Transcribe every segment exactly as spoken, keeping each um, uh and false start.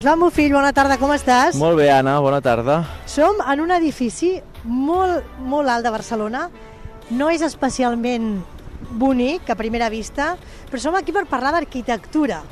Joan Bofill, bona tarda, com estàs? Molt bé, Anna, bona tarda. Som en un edifici molt, molt alt de Barcelona. No és especialment bonic a primera vista, però som aquí per parlar d'arquitectura.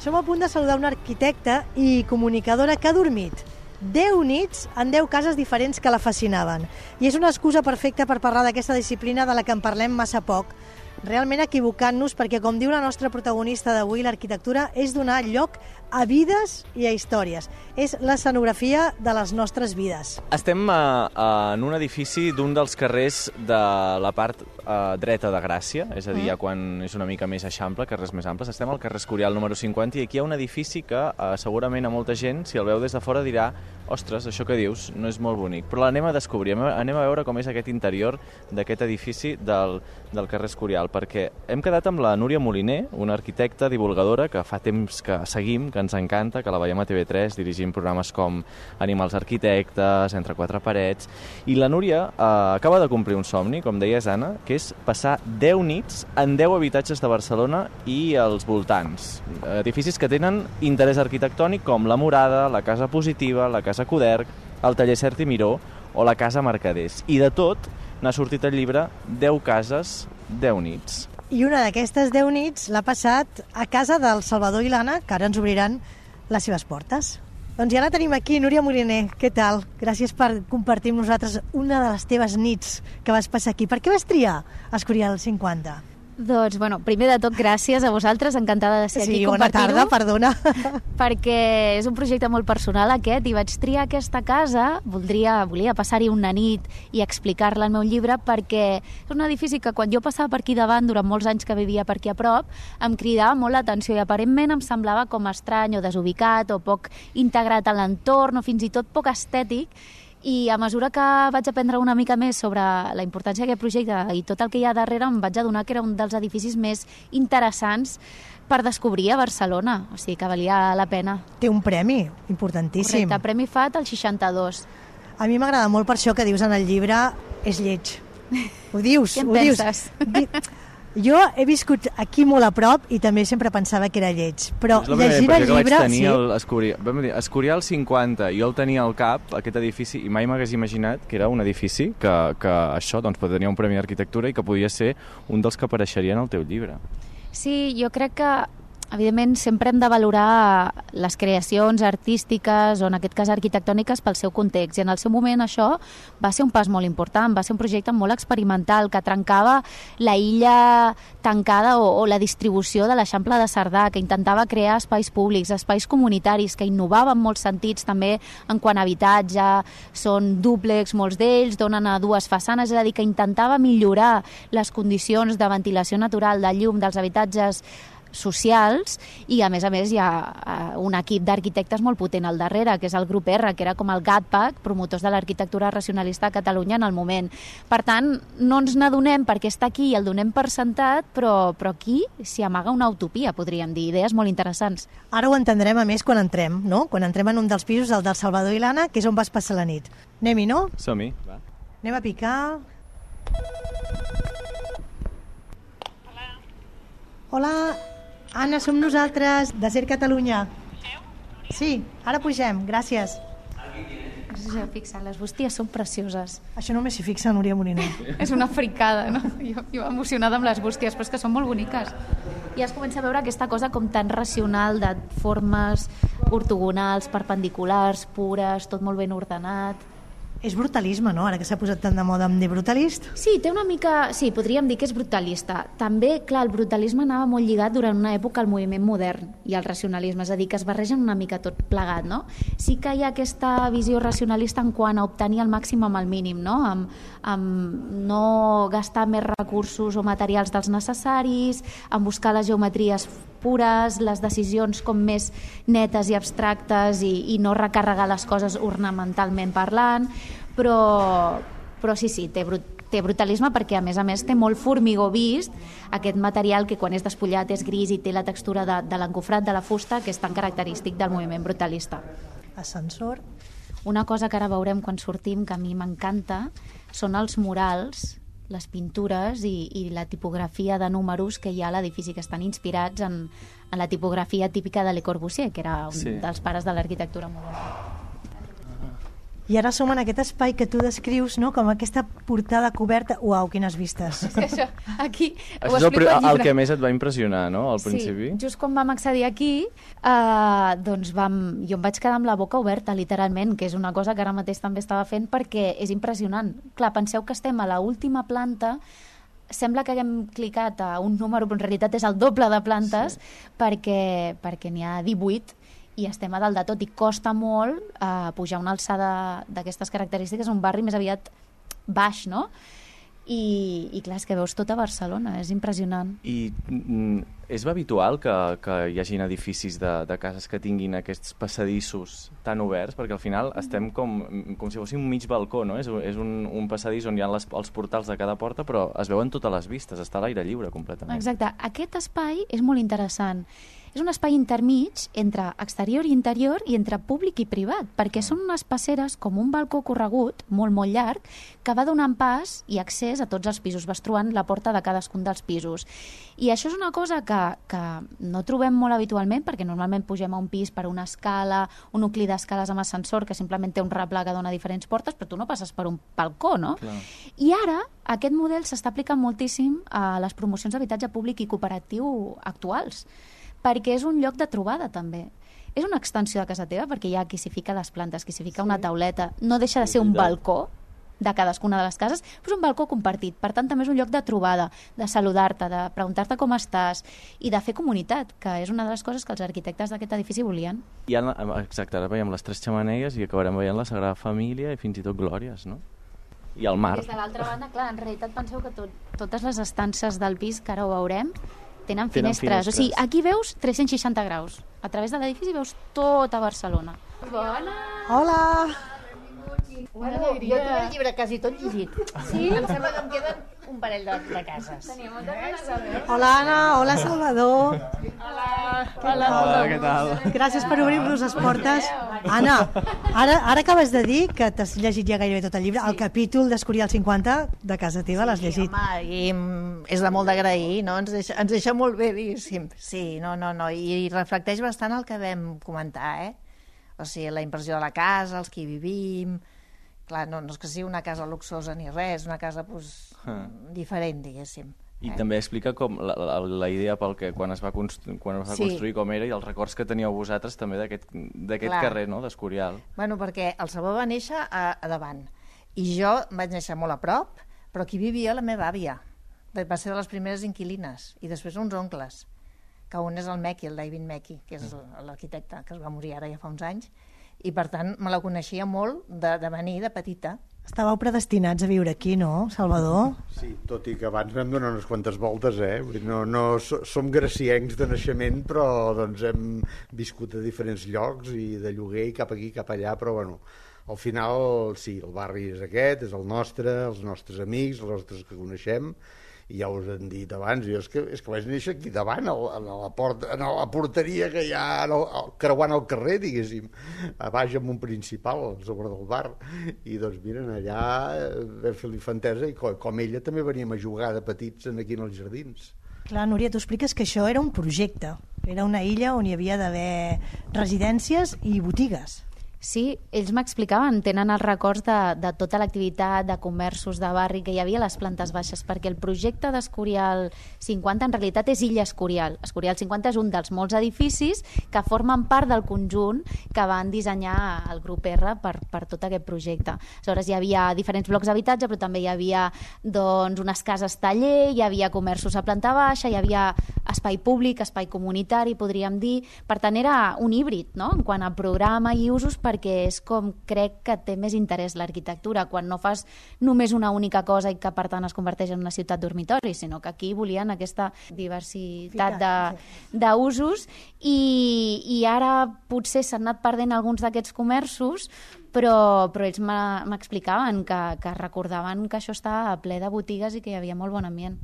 Som a punt de saludar una arquitecta i comunicadora que ha dormit deu nits en deu cases diferents que la fascinaven. I és una excusa perfecta per parlar d'aquesta disciplina de la que en parlem massa poc, realment equivocant-nos, perquè, com diu la nostra protagonista d'avui, l'arquitectura és donar lloc a vides i a històries. És l'escenografia de les nostres vides. Estem a, a, en un edifici d'un dels carrers de la part a, dreta de Gràcia, és a dir, ja quan és una mica més eixample, carrers més amples. Estem al carrer Escorial número cinquanta i aquí hi ha un edifici que a, segurament a molta gent, si el veu des de fora, dirà: ostres, això que dius no és molt bonic. Però l'anem a descobrir, anem a veure com és aquest interior d'aquest edifici del, del carrer Escorial, perquè hem quedat amb la Núria Moliner, una arquitecta divulgadora que fa temps que seguim, que ens encanta, que la veiem a T V tres dirigint programes com Animals Arquitectes, Entre quatre parets, i la Núria eh, acaba de complir un somni, com deies, Anna, que és passar deu nits en deu habitatges de Barcelona i els voltants. Edificis que tenen interès arquitectònic com la Morada, la Casa Positiva, la Casa Coderch, el Taller Cert i Miró o la Casa Mercaders. I de tot n'ha sortit el llibre deu cases, deu nits. I una d'aquestes deu nits l'ha passat a casa del Salvador i l'Anna, que ara ens obriran les seves portes. Doncs ja la tenim aquí, Núria Moliner. Què tal? Gràcies per compartir amb nosaltres una de les teves nits que vas passar aquí. Per què vas triar Escorial cinquanta? Doncs, bueno, primer de tot, gràcies a vosaltres, encantada de ser sí, aquí i bona compartir-ho. tarda, perdona. Perquè és un projecte molt personal aquest i vaig triar aquesta casa, voldria, volia passar-hi una nit i explicar-la al meu llibre, perquè és un edifici que quan jo passava per aquí davant, durant molts anys que vivia per aquí a prop, em cridava molt l'atenció i aparentment em semblava com estrany o desubicat o poc integrat a l'entorn o fins i tot poc estètic. I a mesura que vaig aprendre una mica més sobre la importància d'aquest projecte i tot el que hi ha darrere, em vaig adonar que era un dels edificis més interessants per descobrir a Barcelona, o sigui que valia la pena. Té un premi importantíssim. Correcte, Premi F A T al seixanta-dos. A mi m'agrada molt per això que dius en el llibre, és lleig. Ho dius, Què en ho penses? dius. Jo he viscut aquí molt a prop i també sempre pensava que era lleig, però llegint el llibre... Sí. El Escorial, vam dir, Escorial cinquanta, jo el tenia al cap, aquest edifici, i mai m'hagués imaginat que era un edifici que, que això doncs, tenia un premi d'arquitectura i que podia ser un dels que apareixeria en el teu llibre. Sí, jo crec que evidentment sempre hem de valorar les creacions artístiques o en aquest cas arquitectòniques pel seu context, i en el seu moment això va ser un pas molt important, va ser un projecte molt experimental que trencava la illa tancada o, o la distribució de l'Eixample de Cerdà, que intentava crear espais públics, espais comunitaris, que innovava en molts sentits també en quant a habitatge, són dúplex molts d'ells, donen a dues façanes, és a dir, que intentava millorar les condicions de ventilació natural, de llum dels habitatges socials, i a més a més hi ha un equip d'arquitectes molt potent al darrere, que és el grup R, que era com el GATPAC, promotors de l'arquitectura racionalista a Catalunya en el moment. Per tant, no ens n'adonem perquè està aquí i el donem per sentat, però, però aquí s'hi amaga una utopia, podríem dir, idees molt interessants. Ara ho entendrem a més quan entrem, no? Quan entrem en un dels pisos, el del Salvador i l'Anna, que és on vas passar la nit. Anem-hi, no? Som-hi, va. Anem a picar. Hola. Hola. Anna, som nosaltres, de Ser Catalunya. Sí, ara pugem, gràcies. Ja, fixa, les bústies són precioses. Això només s'hi fixa Núria Moliner. És una fricada, no? Jo, jo emocionada amb les bústies, però és que són molt boniques. I es comença a veure aquesta cosa com tan racional, de formes ortogonals, perpendiculars, pures, tot molt ben ordenat. És brutalisme, no?, ara que s'ha posat tant de moda amb dir brutalist. Sí, té una mica... Sí, podríem dir que és brutalista. També, clar, el brutalisme anava molt lligat durant una època al moviment modern i al racionalisme, és a dir, que es barregen una mica tot plegat, no? Sí que hi ha aquesta visió racionalista en quant a obtenir el màxim amb el mínim, no? Amb, amb no gastar més recursos o materials dels necessaris, amb buscar les geometries pures, les decisions com més netes i abstractes i, i no recarregar les coses ornamentalment parlant, però, però sí, sí, té, brut, té brutalisme perquè a més a més té molt formigó vist, aquest material que quan és despullat és gris i té la textura de, de l'encofrat de la fusta, que és tan característic del moviment brutalista. Ascensor. Una cosa que ara veurem quan sortim, que a mi m'encanta, són els murals les pintures i, i la tipografia de números que hi ha a l'edifici, que estan inspirats en, en la tipografia típica de Le Corbusier, que era un Sí. dels pares de l'arquitectura moderna. I ara som en aquest espai que tu descrius, no? Com aquesta portada coberta. Uau, quines vistes. És que això, aquí, ho Això és el, explico al el llibre. que més et va impressionar, no?, al principi? Sí, just quan vam accedir aquí, eh, doncs vam, jo em vaig quedar amb la boca oberta, literalment, que és una cosa que ara mateix també estava fent perquè és impressionant. Clar, penseu que estem a la última planta, sembla que haguem clicat a un número, però en realitat és el doble de plantes, sí. perquè, perquè n'hi ha divuit, i estem a dalt de tot, i costa molt eh, pujar una alçada d'aquestes característiques, un barri més aviat baix, no? I, i clar, és que veus tota Barcelona, és impressionant. I mm, és habitual que, que hi hagin edificis de, de cases que tinguin aquests passadissos tan oberts? Perquè al final estem com, com si fóssim un mig balcó, no? És, és un, un passadís on hi ha les, els portals de cada porta, però es veuen totes les vistes, està a l'aire lliure completament. Exacte. Aquest espai és molt interessant. És un espai intermig entre exterior i interior i entre públic i privat, perquè són unes passeres com un balcó corregut, molt, molt llarg, que va donant pas i accés a tots els pisos. Vas trobant la porta de cadascun dels pisos. I això és una cosa que, que no trobem molt habitualment, perquè normalment pugem a un pis per una escala, un nucli d'escales amb ascensor que simplement té un replà que dona diferents portes, però tu no passes per un balcó, no? Clar. I ara aquest model s'està aplicant moltíssim a les promocions d'habitatge públic i cooperatiu actuals, perquè és un lloc de trobada també. És una extensió de casa teva perquè hi ha qui s'hi fica les plantes, qui s'hi fica sí. una tauleta. No deixa de ser un balcó de cadascuna de les cases, però és un balcó compartit. Per tant, també és un lloc de trobada, de saludar-te, de preguntar-te com estàs i de fer comunitat, que és una de les coses que els arquitectes d'aquest edifici volien. I ara, exacte, ara veiem les tres xemeneies i acabarem veient la Sagrada Família i fins i tot Glòries, no? I el mar. Des de l'altra banda, clar, en realitat penseu que tot, totes les estances del pis, que ara ho veurem, tenen, Tenen finestres. finestres. O sigui, aquí veus tres-cents seixanta graus. A través de l'edifici veus tota Barcelona. Bona! Hola! Bueno, jo tinc el llibre quasi tot llegit. Sí? Em sembla que em queden un parell de, de cases. Tenia moltes ganes de veure. Hola, Anna! Hola, Salvador! Hola, què tal? Gràcies per obrir-nos les portes. Anna, ara, ara acabes de dir que t'has llegit ja gairebé tot el llibre. El capítol d'Escorial cinquanta de casa teva l'has llegit. Home, i mm, és de molt d'agrair, no? Ens deixa, ens deixa molt bé, diguéssim. Sí, no, no, no, i reflecteix bastant el que vam comentar, eh? O sigui, la impressió de la casa, els que hi vivim... Clar, no, no és que sigui una casa luxosa ni res, una casa pues, Ah. diferent, diguéssim. I Eh? també explica com la, la, la idea pel que quan es va, constru quan es va Sí. construir com era i els records que teníeu vosaltres també d'aquest d'aquest Clar. carrer, no?, d'Escorial. Bueno, perquè el Salvador va néixer a, a davant i jo vaig néixer molt a prop, però aquí vivia la meva àvia. Va ser de les primeres inquilines i després uns oncles, que un és el Meki, el David Meki, que és l'arquitecte que es va morir ara ja fa uns anys, i per tant me la coneixia molt de, de venir de petita. Estàveu predestinats a viure aquí, no, Salvador? Sí, tot i que abans vam donar unes quantes voltes, eh? Vull dir, no, no, so- som graciencs de naixement, però doncs, hem viscut a diferents llocs i de lloguer i cap aquí, cap allà, però bueno, al final sí, el barri és aquest, és el nostre, els nostres amics, els nostres que coneixem, i ja us han dit abans, jo és que, és que vaig néixer aquí davant, al, a la porta, a la porteria que hi ha al, al, creuant el carrer, diguéssim, a baix amb un principal, a sobre del bar, i doncs miren, allà eh, vam fer l'infantesa, i com, com ella també veníem a jugar de petits en aquí en els jardins. Clar, Núria, tu expliques que això era un projecte. Era una illa on hi havia d'haver residències i botigues. Sí, ells m'explicaven, tenen els records de, de tota l'activitat, de comerços de barri que hi havia a les plantes baixes, perquè el projecte d'Escorial cinquanta en realitat és Illa Escorial. Escorial cinquanta és un dels molts edificis que formen part del conjunt que van dissenyar el grup R per, per tot aquest projecte. Aleshores hi havia diferents blocs d'habitatge, però també hi havia doncs, unes cases taller, hi havia comerços a planta baixa, hi havia espai públic, espai comunitari, podríem dir. Per tant, era un híbrid, no?, en quant a programa i usos, per perquè és com crec que té més interès l'arquitectura, quan no fas només una única cosa i que per tant es converteix en una ciutat dormitori, sinó que aquí volien aquesta diversitat d'usos i, i ara potser s'han anat perdent alguns d'aquests comerços, però, però ells m'explicaven que, que recordaven que això estava ple de botigues i que hi havia molt bon ambient.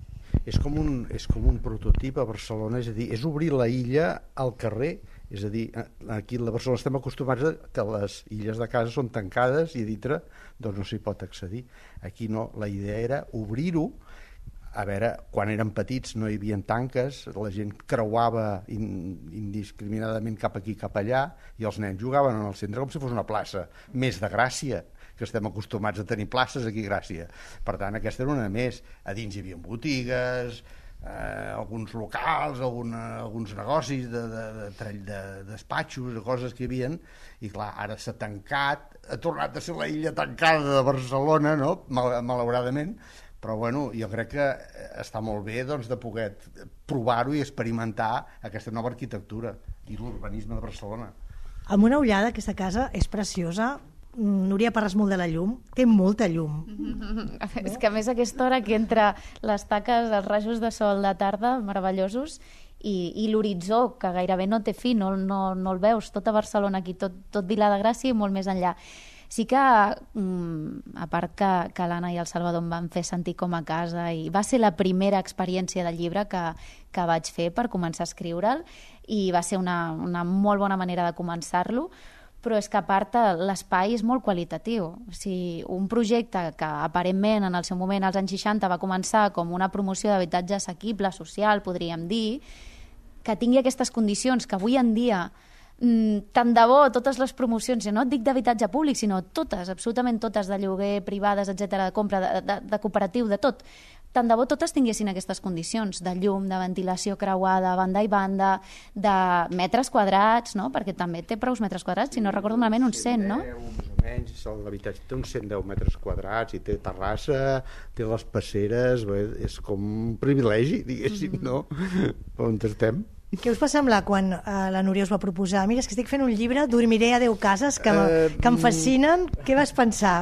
És com un, és com un prototip a Barcelona, és a dir, és obrir la illa al carrer És a dir, aquí a la Barcelona estem acostumats a que les illes de casa són tancades i a dintre doncs no s'hi pot accedir. Aquí no, la idea era obrir-ho. A veure, quan érem petits no hi havia tanques, la gent creuava indiscriminadament cap aquí, cap allà, i els nens jugaven en el centre com si fos una plaça, més de Gràcia, que estem acostumats a tenir places aquí a Gràcia. Per tant, aquesta era una més. A dins hi havia botigues, eh, alguns locals, alguna, alguns negocis de, de, de, de despatxos, de coses que hi havia, i clar, ara s'ha tancat, ha tornat a ser la illa tancada de Barcelona, no? Mal, malauradament, però bueno, jo crec que està molt bé doncs, de poder provar-ho i experimentar aquesta nova arquitectura i l'urbanisme de Barcelona. Amb una ullada, aquesta casa és preciosa. Núria, parles molt de la llum, té molta llum. Mm-hmm. És que a més a aquesta hora que entra les taques, els rajos de sol de tarda, meravellosos, i, i l'horitzó, que gairebé no té fi, no, no, no el veus, tota Barcelona aquí, tot, tot Vilar de Gràcia i molt més enllà. Sí que, mm, a part que, que l'Anna i el Salvador em van fer sentir com a casa, i va ser la primera experiència del llibre que, que vaig fer per començar a escriure'l, i va ser una, una molt bona manera de començar-lo, però és que a part l'espai és molt qualitatiu. O sigui, un projecte que aparentment en el seu moment, als anys seixanta, va començar com una promoció d'habitatge assequible, social, podríem dir, que tingui aquestes condicions que avui en dia, tant de bo totes les promocions, no et dic d'habitatge públic, sinó totes, absolutament totes, de lloguer, privades, etcètera, de compra, de, de, de cooperatiu, de tot, tant de bo totes tinguessin aquestes condicions de llum, de ventilació creuada, banda i banda, de metres quadrats, no? Perquè també té prous metres quadrats, si no recordo malament, uns cent, no? Més o menys, l'habitatge té uns cent deu metres quadrats i té terrassa, té les passeres, bé, és com un privilegi, diguéssim, no? On estem? Què us va semblar quan uh, la Núria us va proposar? Mira, és que estic fent un llibre, dormiré a deu cases, que, uh, que em fascinen. Què vas pensar?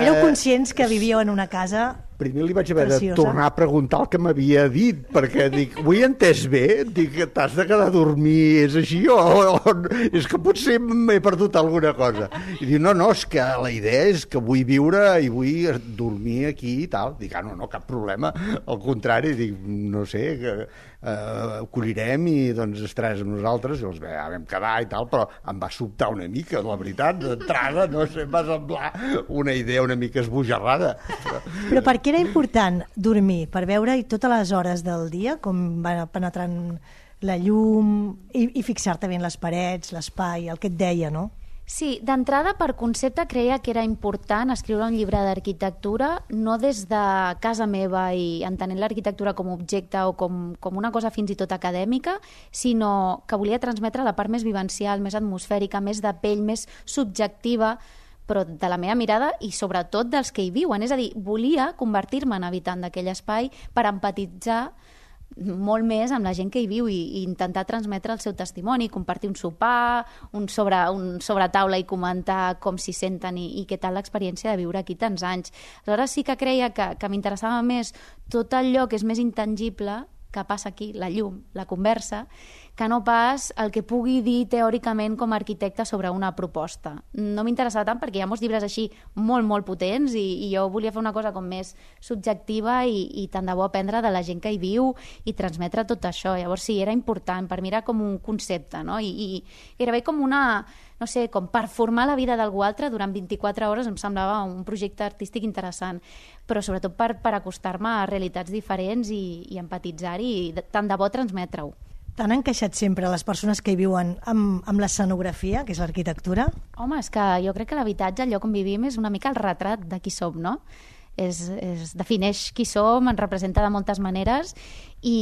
Éreu conscients que vivíeu en una casa primer li vaig haver preciosa? De tornar a preguntar el que m'havia dit, perquè dic, ho he entès bé? Dic, t'has de quedar a dormir, és així? O, o és que potser m'he perdut alguna cosa? I diu, no, no, és que la idea és que vull viure i vull dormir aquí i tal. Dic, ah, no, no, cap problema. Al contrari, dic, no sé, que eh, collirem i doncs estaràs amb nosaltres. I llavors bé, ja vam quedar i tal, però em va sobtar una mica, la veritat, d'entrada, no sé, em va semblar una idea una mica esbojarrada. Però, però per què era important dormir? Per veure totes les hores del dia, com va penetrant la llum i, i fixar-te bé en les parets, l'espai, el que et deia, no? Sí, d'entrada, per concepte, creia que era important escriure un llibre d'arquitectura no des de casa meva i entenent l'arquitectura com a objecte o com, com una cosa fins i tot acadèmica, sinó que volia transmetre la part més vivencial, més atmosfèrica, més de pell, més subjectiva, però de la meva mirada i sobretot dels que hi viuen. És a dir, volia convertir-me en habitant d'aquell espai per empatitzar molt més amb la gent que hi viu i, i intentar transmetre el seu testimoni, compartir un sopar, un sobre, un sobretaula i comentar com s'hi senten i, i què tal l'experiència de viure aquí tants anys. Aleshores sí que creia que, que m'interessava més tot allò que és més intangible que passa aquí, la llum, la conversa, que no pas el que pugui dir teòricament com a arquitecte sobre una proposta. No m'interessava tant perquè hi ha molts llibres així molt, molt potents i, i jo volia fer una cosa com més subjectiva i, i tant de bo aprendre de la gent que hi viu i transmetre tot això. Llavors sí, era important, per mi era com un concepte, no? I, i gairebé com una, no sé, com per formar la vida d'algú altre durant vint-i-quatre hores em semblava un projecte artístic interessant, però sobretot per, per acostar-me a realitats diferents i, i empatitzar-hi i tant de bo transmetre-ho. T'han encaixat sempre les persones que hi viuen amb, amb l'escenografia, que és l'arquitectura? Home, és que jo crec que l'habitatge, el lloc on vivim, és una mica el retrat de qui som, no? És, és, defineix qui som, ens representa de moltes maneres i,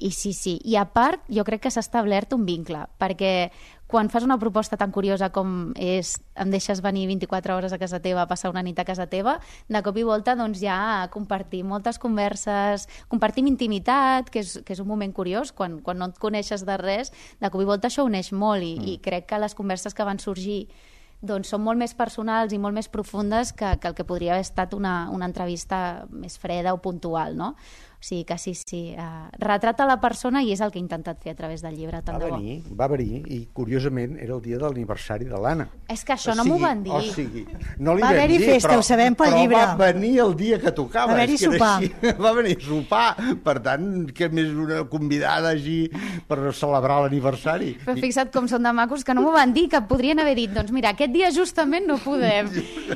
i sí, sí. I a part, jo crec que s'ha establert un vincle, perquè quan fas una proposta tan curiosa com és em deixes venir vint-i-quatre hores a casa teva, passar una nit a casa teva, de cop i volta doncs ja compartir moltes converses, compartir intimitat, que és, que és un moment curiós, quan, quan no et coneixes de res, de cop i volta això uneix molt i, mm. i crec que les converses que van sorgir doncs són molt més personals i molt més profundes que, que el que podria haver estat una, una entrevista més freda o puntual, no? O sigui que sí, sí, uh, retrata la persona i és el que he intentat fer a través del llibre, tant va de bo. venir, va venir, i curiosament era el dia de l'aniversari de l'Anna. És que això O no sigui, m'ho van dir. O sigui, no li Va vam haver-hi dir, festa, però, ho sabem pel però llibre. va venir el dia que tocava. Va haver-hi és que era sopar. així. Va venir a sopar, per tant, que més una convidada així per celebrar l'aniversari. Però fixa't com són de macos, que no m'ho van dir, que podrien haver dit, doncs mira, aquest dia justament no podem,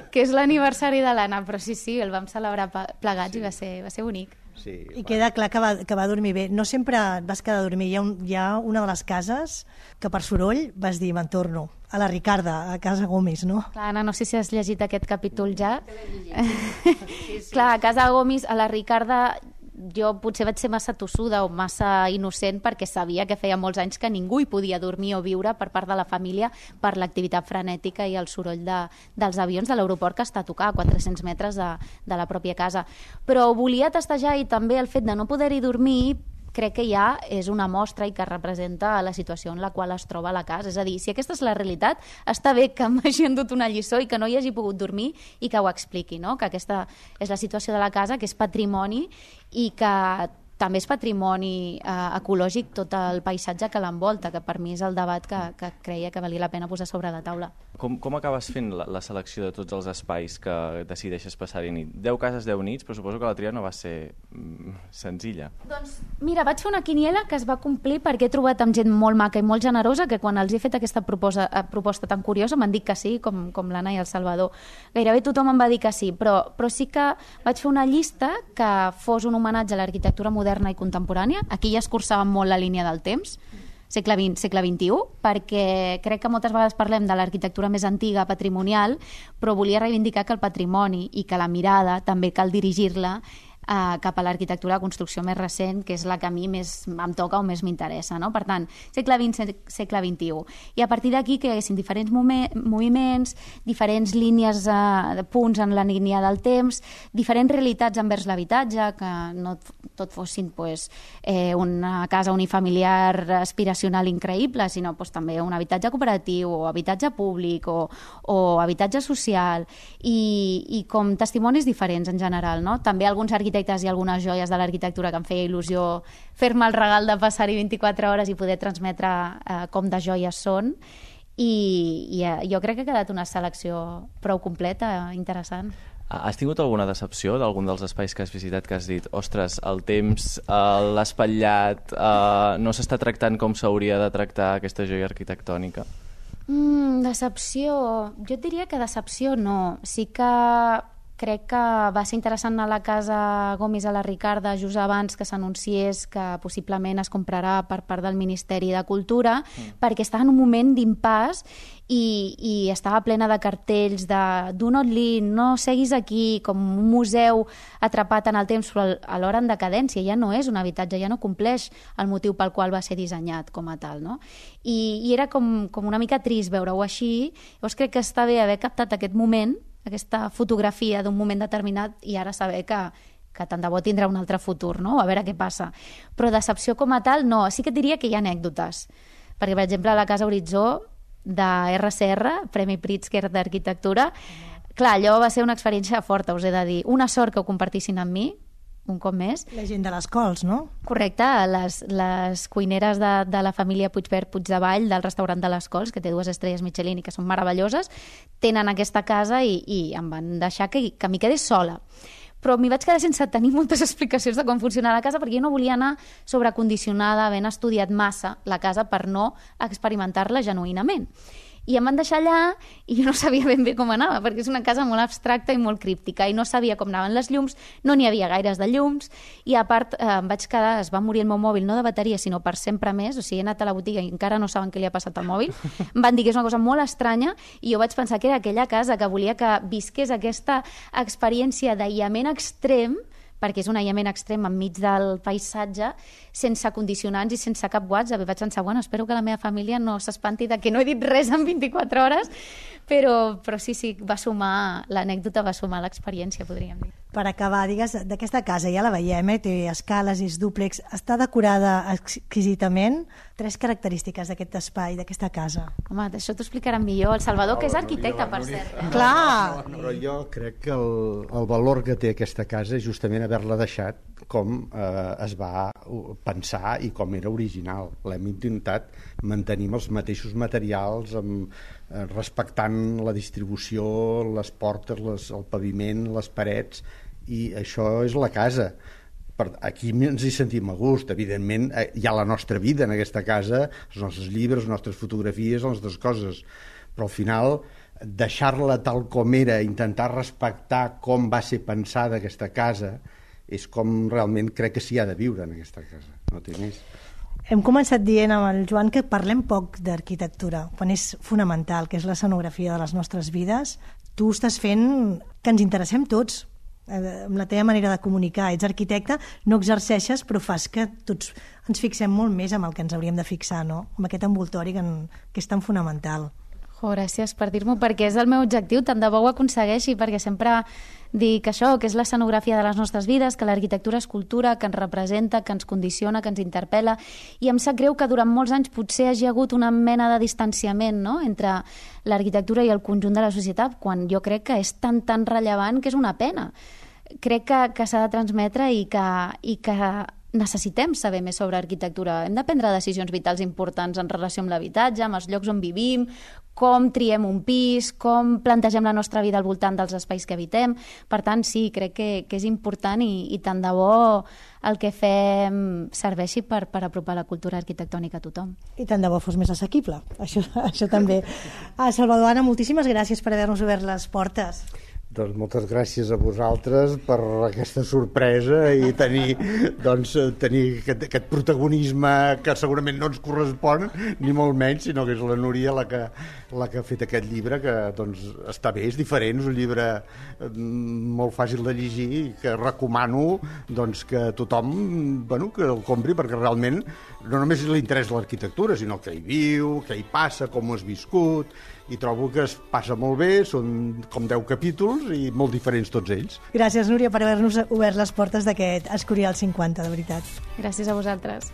que és l'aniversari de l'Anna, però sí, sí, el vam celebrar plegats sí. i va ser, va ser bonic. Sí, I va. queda clar que va, que va dormir bé. No sempre et vas quedar a dormir. Hi ha, un, hi ha una de les cases que per soroll vas dir, me'n torno, a la Ricarda, a Casa Gomis, no? Clar, Anna, no sé si has llegit aquest capítol ja. Sí, sí. Clar, a Casa Gomis, a la Ricarda, jo potser vaig ser massa tossuda o massa innocent perquè sabia que feia molts anys que ningú hi podia dormir o viure per part de la família per l'activitat frenètica i el soroll de, dels avions de l'aeroport que està a tocar a quatre-cents metres de, de la pròpia casa. Però volia testejar i també el fet de no poder-hi dormir crec que ja és una mostra i que representa la situació en la qual es troba la casa. És a dir, si aquesta és la realitat, està bé que m'hagi endut una lliçó i que no hi hagi pogut dormir i que ho expliqui, no? Que aquesta és la situació de la casa, que és patrimoni i que també és patrimoni eh, ecològic tot el paisatge que l'envolta, que per mi és el debat que, que creia que valia la pena posar sobre la taula. Com, com acabes fent la, la selecció de tots els espais que decideixes passar-hi nit? Deu cases, deu nits, però suposo que la tria no va ser mm, senzilla. Doncs mira, vaig fer una quiniela que es va complir perquè he trobat amb gent molt maca i molt generosa que quan els he fet aquesta proposa, proposta tan curiosa m'han dit que sí, com, com l'Anna i el Salvador. Gairebé tothom em va dir que sí, però, però sí que vaig fer una llista que fos un homenatge a l'arquitectura moderna i contemporània. Aquí ja escurçava molt la línia del temps, segle vint, segle vint-i-u, perquè crec que moltes vegades parlem de l'arquitectura més antiga, patrimonial, però volia reivindicar que el patrimoni i que la mirada també cal dirigir-la Uh, cap a l'arquitectura de construcció més recent, que és la que a mi més em toca o més m'interessa, no? Per tant, segle vint, segle vint-i-u. I a partir d'aquí que hi haguessin diferents moviments, diferents línies uh, de punts en la línia del temps, diferents realitats envers l'habitatge, que no tot fossin pues, eh, una casa unifamiliar aspiracional increïble, sinó pues, també un habitatge cooperatiu o habitatge públic o, o habitatge social i, i com testimonis diferents en general, no? També alguns arquitectes i algunes joies de l'arquitectura que em feia il·lusió fer-me el regal de passar-hi vint-i-quatre hores i poder transmetre eh, com de joies són i, i eh, jo crec que ha quedat una selecció prou completa, interessant. Has tingut alguna decepció d'algun dels espais que has visitat que has dit, ostres, el temps uh, l'ha espatllat, uh, no s'està tractant com s'hauria de tractar aquesta joia arquitectònica? Mm, decepció... Jo et diria que decepció no. Sí que crec que va ser interessant anar a la casa Gomis a la Ricarda just abans que s'anunciés que possiblement es comprarà per part del Ministeri de Cultura, mm. perquè estava en un moment d'impàs i, i estava plena de cartells de do not leave, no seguis aquí, com un museu atrapat en el temps, però alhora en decadència, ja no és un habitatge, ja no compleix el motiu pel qual va ser dissenyat com a tal, no? I, i era com, com una mica trist veure-ho així. Llavors crec que està bé haver captat aquest moment, aquesta fotografia d'un moment determinat i ara saber que, que tant de bo tindrà un altre futur, no? A veure què passa. Però decepció com a tal, no. Sí que et diria que hi ha anècdotes. Perquè, per exemple, a la Casa Horitzó de R C R, Premi Pritzker d'Arquitectura, clar, allò va ser una experiència forta, us he de dir. Una sort que ho compartissin amb mi, un cop més. La gent de les Cols, no? Correcte, les, les cuineres de, de la família Puigverd Puigdevall del restaurant de les Cols, que té dues estrelles Michelin i que són meravelloses, tenen aquesta casa i, i em van deixar que, que m'hi quedés sola. Però m'hi vaig quedar sense tenir moltes explicacions de com funcionava la casa perquè jo no volia anar sobrecondicionada, havent estudiat massa la casa per no experimentar-la genuïnament. I em van deixar allà i jo no sabia ben bé com anava, perquè és una casa molt abstracta i molt críptica, i no sabia com anaven les llums, no n'hi havia gaires de llums, i a part eh, em vaig quedar, es va morir el meu mòbil, no de bateria, sinó per sempre més, o sigui, he anat a la botiga i encara no saben què li ha passat al mòbil, em van dir que és una cosa molt estranya, i jo vaig pensar que era aquella casa que volia que visqués aquesta experiència d'aïllament extrem, perquè és un aïllament extrem enmig del paisatge, sense condicionants i sense cap WhatsApp. I vaig pensar, bueno, espero que la meva família no s'espanti de que no he dit res en vint-i-quatre hores, però, però sí, sí, va sumar, l'anècdota va sumar l'experiència, podríem dir. per acabar, digues, d'aquesta casa, ja la veiem, eh? Té escales, és dúplex, està decorada exquisidament. Tres característiques d'aquest espai, d'aquesta casa. Home, això t'ho explicaran millor el Salvador, que és arquitecte, per cert. Eh? Clar! No, no, però jo crec que el, el valor que té aquesta casa és justament haver-la deixat com eh, es va pensar i com era original. L'hem intentat mantenir els mateixos materials, amb, eh, respectant la distribució, les portes, les, el paviment, les parets, i això és la casa. Per, aquí ens hi sentim a gust, evidentment hi ha la nostra vida en aquesta casa, els nostres llibres, les nostres fotografies, les nostres coses, però al final deixar-la tal com era, intentar respectar com va ser pensada aquesta casa, és com realment crec que s'hi ha de viure en aquesta casa, no té més. Hem començat dient amb el Joan que parlem poc d'arquitectura, quan és fonamental, que és l'escenografia de les nostres vides. Tu estàs fent que ens interessem tots, amb la teva manera de comunicar. Ets arquitecte, no exerceixes, però fas que tots ens fixem molt més amb el que ens hauríem de fixar, no? Amb aquest envoltori que, en, que és tan fonamental. Oh, gràcies per dir-m'ho, perquè és el meu objectiu, tant de bo ho aconsegueixi, perquè sempre dic això, que és l'escenografia de les nostres vides, que l'arquitectura és cultura, que ens representa, que ens condiciona, que ens interpel·la, i em sap greu que durant molts anys potser hagi hagut una mena de distanciament, no?, entre l'arquitectura i el conjunt de la societat, quan jo crec que és tan, tan rellevant que és una pena. Crec que, que s'ha de transmetre i que, i que necessitem saber més sobre arquitectura. Hem de prendre decisions vitals importants en relació amb l'habitatge, amb els llocs on vivim, com triem un pis, com plantegem la nostra vida al voltant dels espais que habitem. Per tant, sí, crec que, que és important i, i tant de bo el que fem serveixi per, per apropar la cultura arquitectònica a tothom. I tant de bo fos més assequible, això, això també. Ah, Salvador, Anna, moltíssimes gràcies per haver-nos obert les portes. Doncs moltes gràcies a vosaltres per aquesta sorpresa i tenir, doncs, tenir aquest, aquest protagonisme que segurament no ens correspon, ni molt menys, sinó que és la Núria la que, la que ha fet aquest llibre, que doncs, està bé, és diferent, és un llibre molt fàcil de llegir i que recomano doncs, que tothom bueno, que el compri, perquè realment no només és l'interès de l'arquitectura, sinó que hi viu, què hi passa, com ho has viscut, i trobo que es passa molt bé, són com deu capítols i molt diferents tots ells. Gràcies, Núria, per haver-nos obert les portes d'aquest Escorial cinquanta, de veritat. Gràcies a vosaltres.